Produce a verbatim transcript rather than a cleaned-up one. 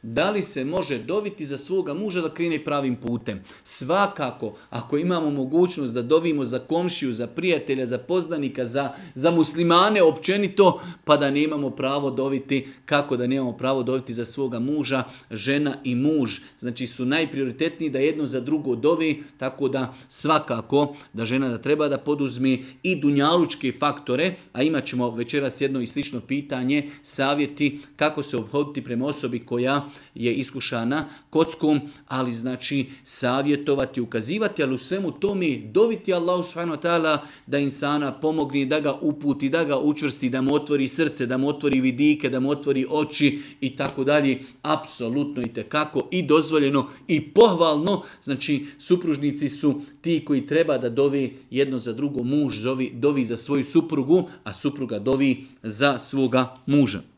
Da li se može doviti za svoga muža da krene pravim putem? Svakako, ako imamo mogućnost da dovimo za komšiju, za prijatelja, za poznanika, za, za muslimane općenito, pa da nemamo pravo doviti, kako da nemamo pravo doviti za svoga muža, žena i muž. Znači su najprioritetniji da jedno za drugo dovi, tako da svakako da žena da treba da poduzmi i dunjalučke faktore, a imat ćemo večeras jedno i slično pitanje, savjeti kako se obhoditi prema osobi koja je iskušana kockom, ali znači savjetovati, ukazivati, ali u svemu tome doviti Allahu subhanahu wa ta'ala da insana pomogne, da ga uputi, da ga učvrsti, da mu otvori srce, da mu otvori vidike, da mu otvori oči i tako dalje. Apsolutno i tekako i dozvoljeno i pohvalno. Znači supružnici su ti koji treba da dovi jedno za drugo, muž dovi, dovi za svoju suprugu, a supruga dovi za svoga muža.